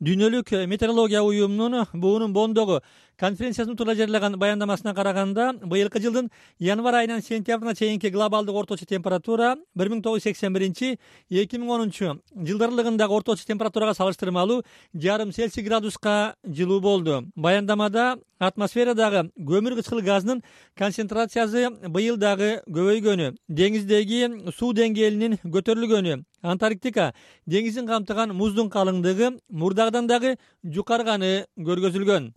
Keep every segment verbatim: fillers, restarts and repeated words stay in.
Дүйнөлүк метеорология уюмунун буунун Бондогу конференциясынын тууралуу жарыяган баяндамасына караганда, быйылкы жылдын январь айынан сентябрына чейинки глобалдык орточо температура бир миң тогуз жүз сексен биринчи — эки миң онунчу жылдар аралыгындагы орточо температурага салыштырмалуу жарым Цельсий градуска жылуу болду. Баяндамада атмосферадагы көмүр кычкыл газынын концентрациясы быйыл дагы көбөйгөнү, деңиздеги суу деңгээлинин көтөрүлгөнү, Антарктика деңизин камтыган муздун калыңдыгы мурдагыдан дагы жукарганы көргөзүлгөн.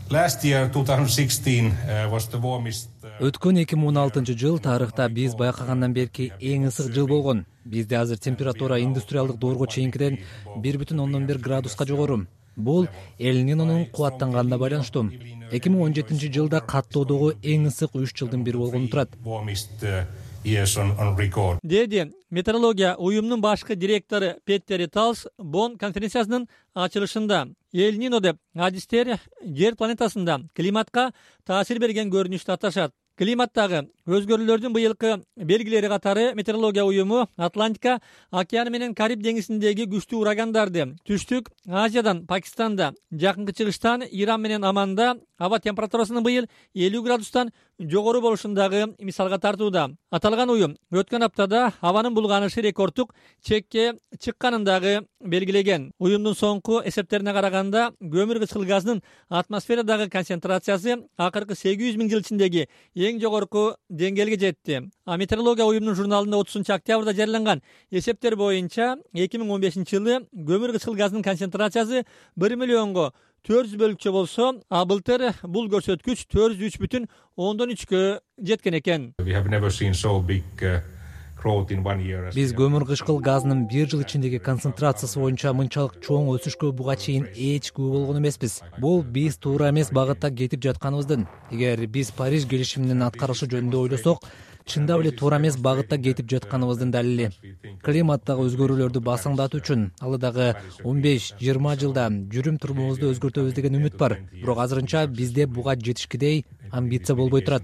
Өткөн эки миң он алтынчы жыл тарыхта биз байкагандан берки эң ысык жыл болгон. Бизде азыр температура индустриалдык доорго чейинкиден бир бүтүн ондон бир градуска жогору. Бул Эль-Нинонун кубаттанганына байланыштуу. эки миң он жетинчи жылда каттоодогу эң ысык үч жылдын бири болгону турат. Деди метеорология уюмунун башкы директору Петтери Талс Бонн конференциясынын ачылышында. Эль-Нино деп адистер жер планетасында климатка таасир берген көрүнүштү аташат. Климаттагы өзгөрүүлөрдүн быйылкы белгилери катары метеорология уюму Атлантика океаны менен Кариб деңизиндеги күчтүү урагандарды, Түштүк Азиядан, Пакистанда, Жакынкы Чыгыштан, Иран менен Оманда аба температурасынын быйыл элүү градустан жогору болушундагы мисалга тартууда. Аталган уюм өткөн аптада абанын булганышы рекордтук чекке чыкканын дагы белгилеген. Уюмдун соңку эсептерине караганда, көмүр кычкыл газынын атмосферадагы концентрациясы акыркы сегиз жүз миң жыл ичиндеги эң жогорку деңгээлге жетти. А метеорология уюмунун журналында отузунчу октябрда жарыяланган эсептер боюнча эки миң он бешинчи жылы көмүр кычкыл газынын концентрациясы бир миллионго төрт жүз бөлүкчө болсо, а былтыр бул көрсөткүч төрт жүз үч бүтүн ондон үчкө жеткен экен. Биз көмүр кычкыл газынын бир жыл ичиндеги концентрациясы боюнча мынчалык чоң өсүшкө буга чейин эч күбө болгон эмеспиз. Бул биз туура эмес багытта кетип жатканыбыздын. Эгер биз Париж келишиминин аткарышы жөнүндө ойлосок, чындап эле туура эмес багытта кетип жатканыбыздын далили. Климаттагы өзгөрүүлөрдү басаңдатуу үчүн алдыдагы он беш жыйырма жылда жүрүм турумубузду өзгөртөбүз деген үмүт бар. Бирок азырынча бизде буга жетишкидей амбиция болбой турат.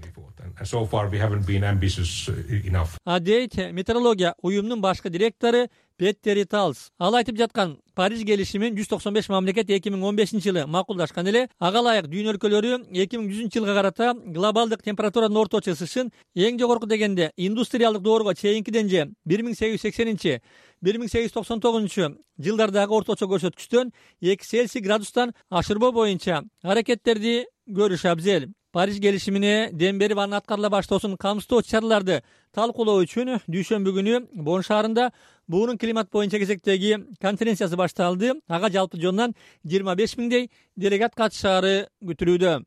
А дейт метеорология уюмунун башкы директору Петтери Талс. Ал айтып жаткан Париж келишимин жүз токсон беш мамлекет эки миң он бешинчи жылы макулдашкан эле. Ага ылайык дүйнө өлкөлөрү эки миң жүзүнчү жылга карата глобалдык температуранын орточо ысышын эң жогорку дегенде индустриалдык доорго чейинкиден же бир миң сегиз жүз сексенинчи — бир миң сегиз жүз токсон тогузунчу жылдардагы орточо көрсөткүчтөн эки Цельсий градустан ашырбоо боюнча аракеттерди көрүш абзел. Париж келишимине дем берип анын аткарыла баштоосун камсыздоочу чараларды талкуулоо үчүн дүйшөмбү күнү Бонн шаарында буунун климат боюнча кезектеги конференциясы башталды. Ага жалпы жонунан жыйырма беш миңдей делегат катышаары күтүлүүдө.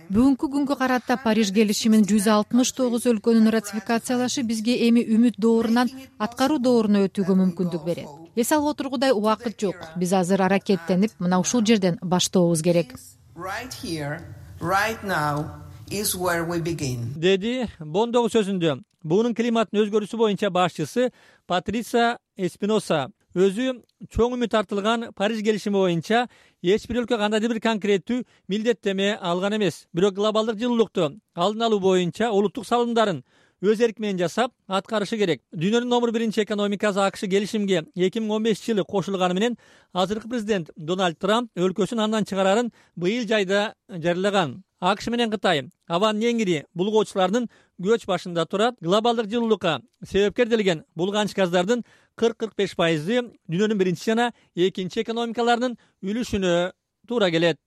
Бүгүнкү күнгө карата Париж келишимин жүз алтымыш тогуз өлкөнүн ратификациялашы бизге эми үмүт доорунан аткаруу дооруна өтүүгө мүмкүндүк берет. Эс алып отургудай убакыт жок. Биз азыр аракеттенип, мына ушул жерден баштообуз керек. Right here, right now is where we begin. Деди Бондогу сөзүндө буунун климаттын өзгөрүүсү боюнча башчысы Патриция Эспиноса. Өзү чоң үмүт артылган Париж келишими боюнча эч бир өлкө кандайдыр бир конкреттүү милдеттеме алган эмес. Бирок глобалдык жылуулукту алдын алуу боюнча улуттук салымдарын өз эрки менен жасап аткарышы керек. Дүйнөнүн номер биринчи экономикасы АКШ келишимге эки миң он бешинчи жылы кошулганы менен азыркы президент Дональд Трамп өлкөсүн андан чыгарарын быйыл жайда жарыялаган. АКШ менен Кытай абанын эң ири булгоочуларынын көч башында турат. Глобалдык жылуулукка себепкер делген булганыч газдардын кырк — кырк беш пайызы дүйнөнүн биринчи жана экинчи экономикаларынын үлүшүнө туура келет.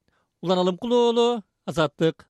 Улан Алымкулуу, Азаттык.